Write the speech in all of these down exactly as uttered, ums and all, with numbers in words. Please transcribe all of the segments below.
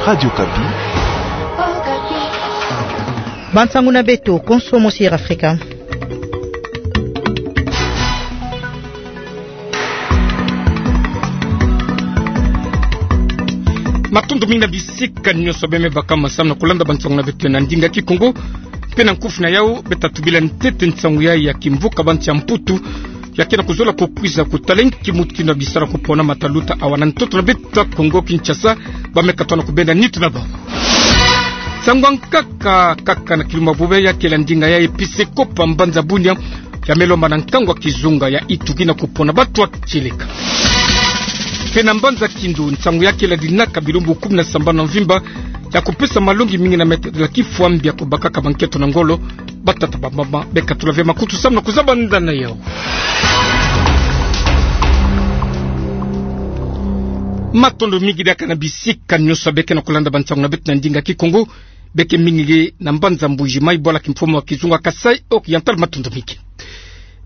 Radio Okapi. Bansangu na beto, konso mosi ya Afrika. Matondo mingi na bisika nyonso beno me baka masamu na kulanda bansangu na beto na ndinga Kikongo. Mpe na nkufi na yau, beta tubila ntete nsangu yai ya kimvuka bansi ya Mputu, ya ke na kuzola kukwiza kutala inki mutindu ya bisala kupona mataluta awa na ntoto na beto ya Kongo Kinshasa, ba me katwa na kubenda nitu na bau. Nsangu ya nkaka, kaka na kilumbu ya bobia, ya kele ndinga ya episekopo ya mbanza Bunia, ya me lomba na nkangu ya kizunga ya Ituri na kupona batu ya kieleka. Mpe na mbanza Kindu, nsangu ya kele dinaka bilumbu kumi na sambanu na mvimba, ya kupesa malongi mingi na me tadila kifwambi ya kubakaka bankento na ngolo, batata bamama, beka tula ve makutu samu na kuzabanda na yau. Matondo mingi diaka na bisika nyonso beke na kulanda bansangu na beto na ndinga Kikongo, beke mingi na mbanza Mbuji-Mayi, bwala kimfumu ya kizunga Kasaï Oriental, matondo mingi.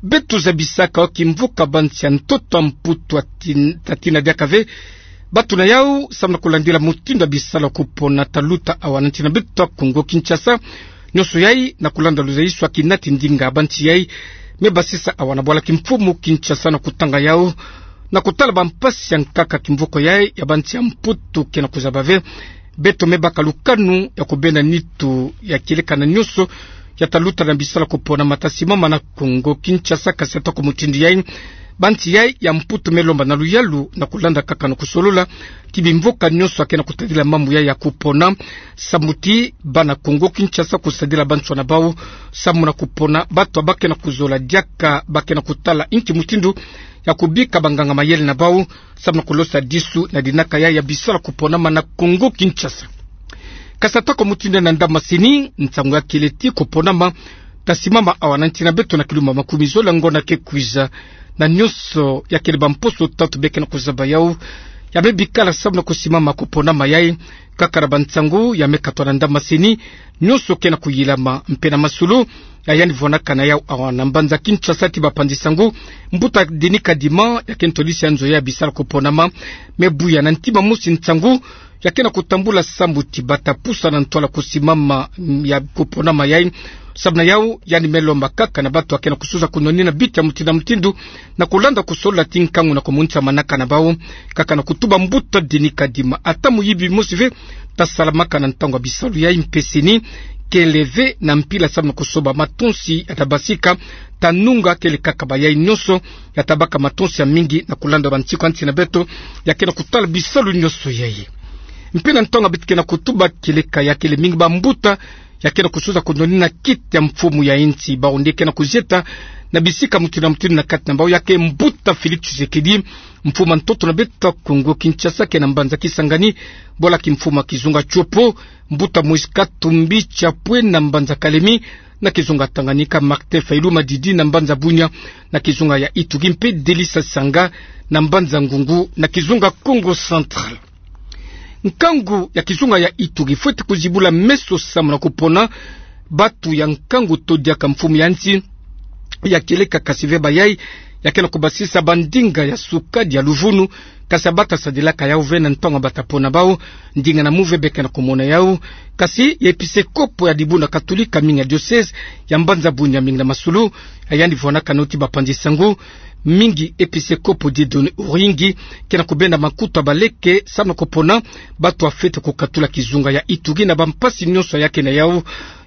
Beto zabisaka yo kimvuka bansi ya ntoto ya Mputu ya tin-, ta tina diaka ve batu na yau, samu na kulandila mutindu ya bisala kupona taluta awa na nsi na beto ya Kongo Kinshasa. Nyonso yai na kulanda luzayisu ya kinati ndinga bansi yai me basisa awa na bwala kimfumu Kinshasa na kutanga yau, na kutala bampasi ya nkaka kimvuka yai ya bansi ya Mputu ke na kuzaba ve. Beto me baka lukanu ya kubenda nitu ya kieleka na nyonso ya taluta na bisala kupona mata simama na Kongo Kinshasa, kasi atako mutindu yai, bansi yai ya Mputu me lomba na luyalu na kulanda kaka na kusolola ti bimvuka nyonso ya ke na kutadila mambu yai ya kupona, samu ti bana Kongo Kinshasa kusadila bansoni na bau, samu na kupona batu ya ba ke na kuzola diaka, ba ke na kutala inki mutindu ya kubika banganga mayele na bau, samu na kulosa disu na dinaka yai ya bisala kuponama na Kongo Kinshasa. Kasi atako mutindu yai, na ndamana sini, nsangu ya kele ti kuponama ta simama awa na nsi na beto na kilumbu ya makumi zola ngonda ke kwiza, na nyonso ya kele bamposo tatu beke na kuzaba yau, ya me bikala samu na kusimama kuponama yai. Kaka na bansangu ya me katwa na ndamana sini, nyonso ke na kuyilama. Mpe na masolo ya yandi vwanaka na yau awa na mbanza Kinshasa ti bapanzi sangu, mbuta Denis Kadima, ya ke ntolisi ya nzo ya bisala kuponama, me buya na ntima mosi nsangu ya ke na kutambula samu ti bata pusa na ntwala kusimama, mm, ya kuponama yai. Samu na yau, yandi me lomba kaka na batu ya ke na kususa kunwanina biti ya mutindu na mutindu, na kulanda kusolola ti nkangu na kumonisa manaka na bau, kaka na kutuba mbuta Denis Kadima: ata moyibi mosi ve ta salamaka na ntangu ya bisalu yai, mpe sini kele ve na mpila samu na kusoba matonsi ya ta basika, ta nunga kele kaka bayai nyonso ya ta baka matonsi ya mingi na kulanda bansiku ya nsi na beto ya ke na kutala bisalu nyonso yai. Mpe na ntangu ya beto ke na kutuba kieleka, ya kele mingi bambuta ya ke na kususa kunwanina kiti ya mfumu ya nsi, bau nde ke na kuzieta na bisika mutindu na mutindu na kati na bau, ya ke mbuta Félix Tshisekedi, mfumu ya ntoto na beto ya Kongo Kinshasa, ke na mbanza Kisangani, bwala kimfumu ya kizunga Tshopo, mbuta Moïse Katumbi Chapwe na mbanza Kalemie, na kizunga Tanganyika, Martin Fayulu Madidi na mbanza Bunia, na kizunga ya Ituri, mpe Delly Sassanga na mbanza Ngungu, na kizunga Kongo Central. Nkangu ya kizunga ya Ituri fweti kuzibula meso samu na kupona batu ya nkangu to diaka mfumu ya nsi ya kieleka, kasi ve bayai ya ke na kubasisa bandinga ya sukadi ya luvunu, kasi ya bata sadilaka yau ve na ntangu ya bata pona bau. Ndinga na mu ve beke na kumona yau, kasi ya episekopo ya dibundu katolika mingi ya diocèse ya mbanza Bunia, mingi na masolo ya yandi vwanaka na yo ti bapanzi sangu, mingi episekopo Dieudonné Uwingi, ke na kubenda makuta ya baleke samu na kupona batu ya fweti kukatula kizunga ya Ituri na bampasi nyonso ya ke na yau.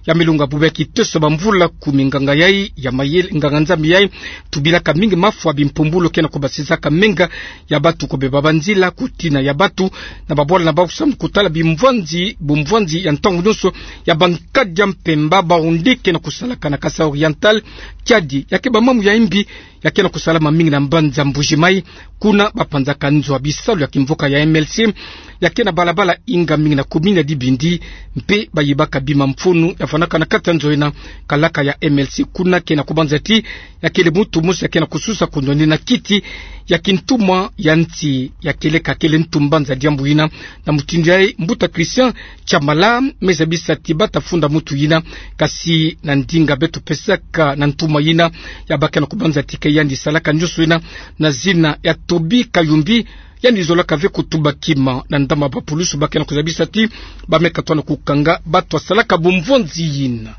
Ya me longa bubu ya kitoso bamvula kumi, nganga yai ya mayele, nganga-Nzambi yai tubilaka mingi mafwa bimpumbulu ke na kubasisaka menga ya batu, kubeba banzila, kutina ya batu na babwala na bau samu kutala bimvwanzi, bumvwanzi ya ntangu nyonso ya bankadi ya mpemba, bau nde ke na kusalaka na Kasaï Oriental, Kiadi. Ya ke bamambu ya imbi ya ke na kusalama mingi na mbanza Mbuji-Mayi, kuna bapanzaka nzo ya bisalu ya kimvuka ya M L C, ya ke na balabala Inga mingi na commune ya Dibindi, mpe bayibaka bima mfunu ya fwanaka na kati ya nzo ina. Kalaka ya M L C kuna ke na kubanza ti ya kele muntu mosi ya ke na kususa kunwanina kiti ya kintumwa ya nsi ya kieleka, kele ntu mbanza diambu ina. Na mutindu yai, mbuta Christian Tshamala me zabisa ti bata funda muntu yina, kasi na ndinga beto pesaka na ntumwa yina, ya bake na kubanza ti ke yandi salaka nyonso yina na zina ya Toby Kayumbi, yandi zolaka ve kutuba kima na ndambu ya bapulusu ba ke na kuzabisa ti ba me katoa na kukanga bato basalaka bumvonzi yina.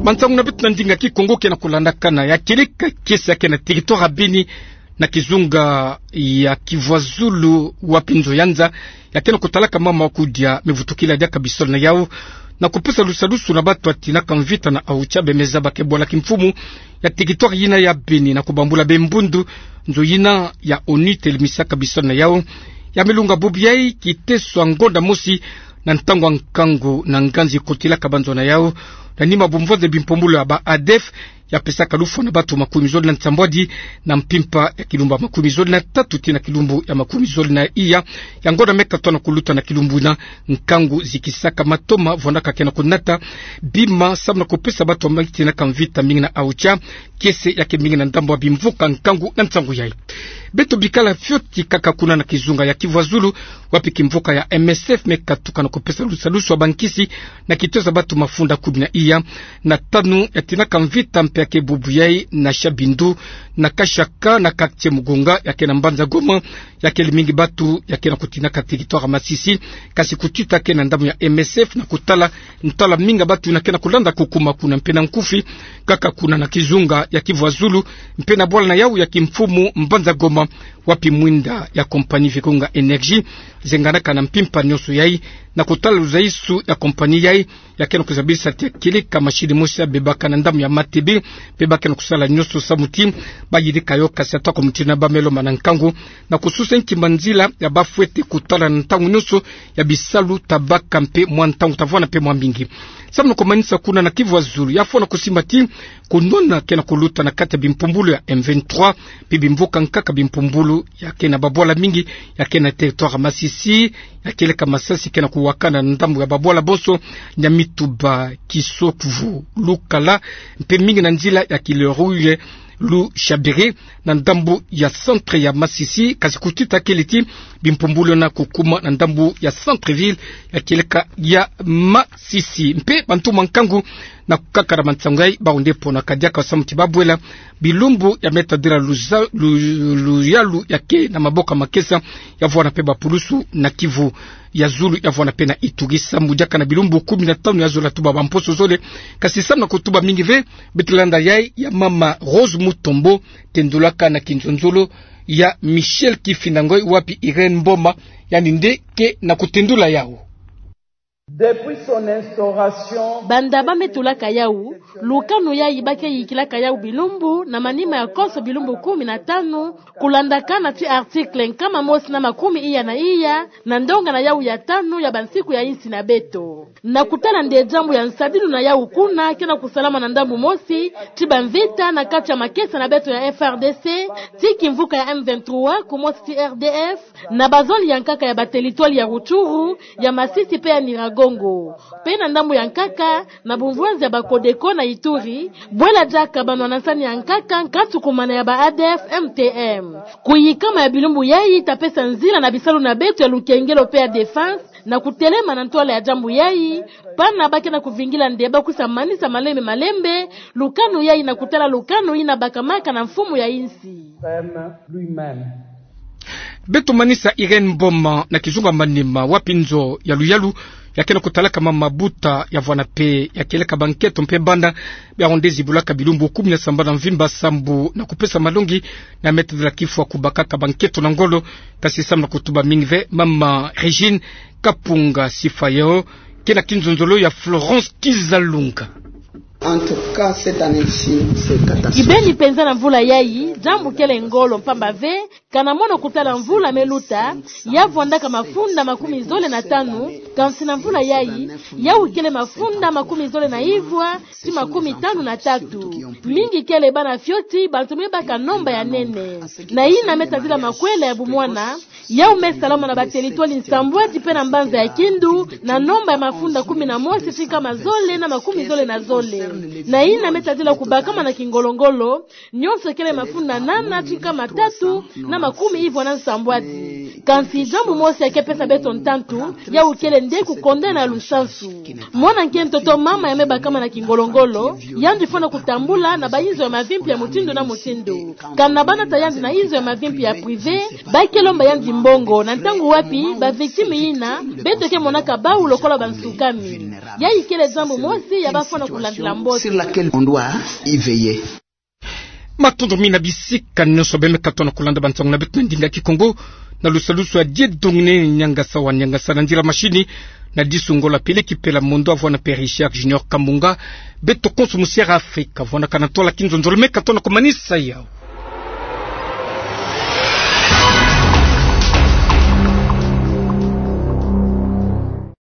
Mansangu na beto na ndinga Kikongo ke na kulandakana. Ya kieleka kiese ya ke na territoire ya Beni, na kizunga ya Kivu ya Zulu, wapi nzo ya nza ya ke na kutalaka mama wa kudia me vutukila diaka bisole na yau, na kupesa lusalusu na bato batinaka mvita na Aocha, bemeza ba ke bwala kimfumu ya territoire yina ya Beni na kubambula be mbundu. Nzo yina ya ONU telemisaka bisole na yau ya me lunga bubu yai kiteso ya ngonda mosi na ntangu ya nkangu na nganzi kotilaka banzo na yau, na nima bumvonzi ya bimpumbulu ya ba ADF ya pesaka lufwa na bato makumi zole na nsambwadi na mpimpa ya kilumbu ya makumi zole na tatu tii na kilumbu ya makumi zole na iya ya ngonda me katoa na kuluta na kilumbu na nkangu, zikisaka matoma vwandaka ke na kunata bima samu na kupesa bato batinaka mvita mingi na Aocha, kiese ya ke mingi na ndambu ya bimvuka nkangu na nsangu yai. Beto bikala fioti kaka kuna na kizunga ya Kivu ya Zulu, wapi kimvuka ya MSF me katuka na kupesa lusalusu ya bankisi na kitoza bato mafunda kumi na iya na tanu yatinaka mvita mpe ya ke bubu yai na Shabindu, na Kashaka, na quartier Mugunga ya ke na mbanza Goma, ya kele mingi bato ya ke na kutinaka territoire ya Masisi, kasi kutita ke na ndambu ya MSF na kutala ntala mingi ya bato yina ke na kulanda kukuma kuna mpe na nkufi kaka kuna na kizunga ya Kivu ya Zulu, mpe na bwala na yau ya kimfumu mbanza Goma, wapi mwinda ya compagnie Vikonga Energie zenganaka na mpimpa nyonso yai, na kutala luzaisu ya compagnie yai ya ke na kuzabisa ti ya kieleka machine mosi ya bebaka na ndambu ya Matebe, mpe ba ke na kusala nyonso samu ti bayidika yo, kasi atako mutindu yina ba me lomba na nkangu na kususa nki manzila ya ba fwete kutala na ntangu nyonso ya bisalu ta baka mpe mwa ntangu ta vwanda mpe mwa mingi. Samu na kumanisa kuna na Kivu ya Zulu, ya fwana kusimba ti kunwana ke na kuluta na kati ya bimpumbulu ya M vingt-trois mpe bimvuka nkaka, bimpumbulu ya ke na babwala mingi ya ke na territoire ya Masisi, ya kieleka masasi ke na kuwakana na ndambu ya babwala bonso, Nyamituba, Kisokuvu, Lukala, mpe mingi na nzila ya Kileruye, Lushabiri, na ndambu ya centre ya Masisi, kasi kutita kele ti bimpumbulu yina kukuma na ndambu ya centre-ville ya kieleka ya Masisi. Mpe bantu mwa nkangu na kukakara mansangu yai, bawu nde ponaka diaka samu ti ba bwela bilumbu ya me tadila luza-, lu-, luyalu ya ke na maboko ya makesa, ya vwanda mpe bapulusu na Kivu ya Zulu, ya vwanda mpe na Ituri, samu diaka na bilumbu kumi na tanu ya zola tuba bamposo zole. Kasi samu na kutuba mingi ve, beto landa yai ya mama Rose Mutombo, tendulaka na kinzonzolo ya Michel Kifinda Ngoy, wapi Irène Mboma, yandi nde ke na kutendula yau. Depuis son instauration, banda ba me tulaka yau, lukanu yai ba ke yikilaka yau bilumbu, na manima ya konso bilumbu kumi na tanu, kulandakana ti article nkama mosi na makumi iya na iya, na ndonga na yau ya tanu ya bansiku ya insi na beto. Na kutala nde diambu ya nsadilu na yau kuna ke na kusalama na ndambu mosi ti bamvita na kati ya makesa na beto ya F R D C, ti kimvuka ya M vingt-trois, kumosi ti R D F, na bazone ya nkaka ya bateritware ya Rutshuru, ya Masisi mpe ya Nyiragongo. Mpe na ndambu ya nkaka, na bumvwanzi ya ba Codeco na Ituri, bwela diaka banwana nsani ya nkaka, nkatu kumana ya ba A D F M T M. Kuyikama ya bilumbu yai ta pesa nzila na bisalu na beto ya lukengelo mpe ya défense, na kutelema na ntwala ya diambu yai, pana ba ke na kuvingila nde ba kwisa manisa malembe malembe lukanu yai, na kutala lukanu yina bakamaka na mfumu ya insi. Ferme lui-même. Beto manisa Irène Mboma na kizunga manima, wapi nzo ya luyalu ya ke na kutalaka mama Buta, ya vwanda mpe ya kieleka banketo mpe banda, bia onde zibulaka bilumbu kumi na sambanu ya mvimba sambu na kupesa malongi na me tadila kifwa kubakaka banketo na ngolo. Kasi samu na kutuba mingi ve, mama Régine Kapunga Sifayo ke na kinzonzolo ya Florence Kizalunga. En tout cas, cette année-ci, c'est catastrophique. Kibeni mpenza na mvula yai, diambu kele ngolo mpamba ve, kana mono kutala mvula me luta, ya vwandaka mafunda makumi zole na tanu, kansi na mvula yai, yau kele mafunda makumi zole na ivwa, ti makumi tanu na tatu. Mingi kele bana fioti, bantu me baka nomba ya nene. Na yina me tadila makwela ya bumwana, Yau me salama na ba territoire nsambwadi pe na mbanza ya Kindu, na nomba ya mafunda kumi na mosi ti nkama zole na makumi zole na zole. Na yina me tadila kubakama na kingolo-ngolo, nionso kele mafunda nana ti nkama tatu na makumi ivwa na nsambwadi. Kansi diambu mosi ya ke pesa beto ntantu, yau kele nde kukondana lusansu. Mwana nkento to mama ya me bakama na kingolo-ngolo, yandi fwana kutambula na ba inzo ya mavimpi ya mutindu na mutindu. Kana ba nata yandi na inzo ya mavimpi ya privé, ba ke lomba yandi mbongo, na ntangu wapi ba victime yina beto ke monaka bau lokola bansukami. Yayi kele diambu mosi ya ba fwana kulandila mbote. Matondo mingi na bisika nionso beno me katuka na kulanda bansangu na beto na ndinga Kikongo, na lusalusu ya Dieudonné Niangasa wa Niangasa, na nzila machine na Disu Ngola Peleki Pela Mondo, avwana pe Richard Junior Kamunga. Beto konso musiara Afrika, vwana kana tola kinzonzolo me katuka na kumanisa yau.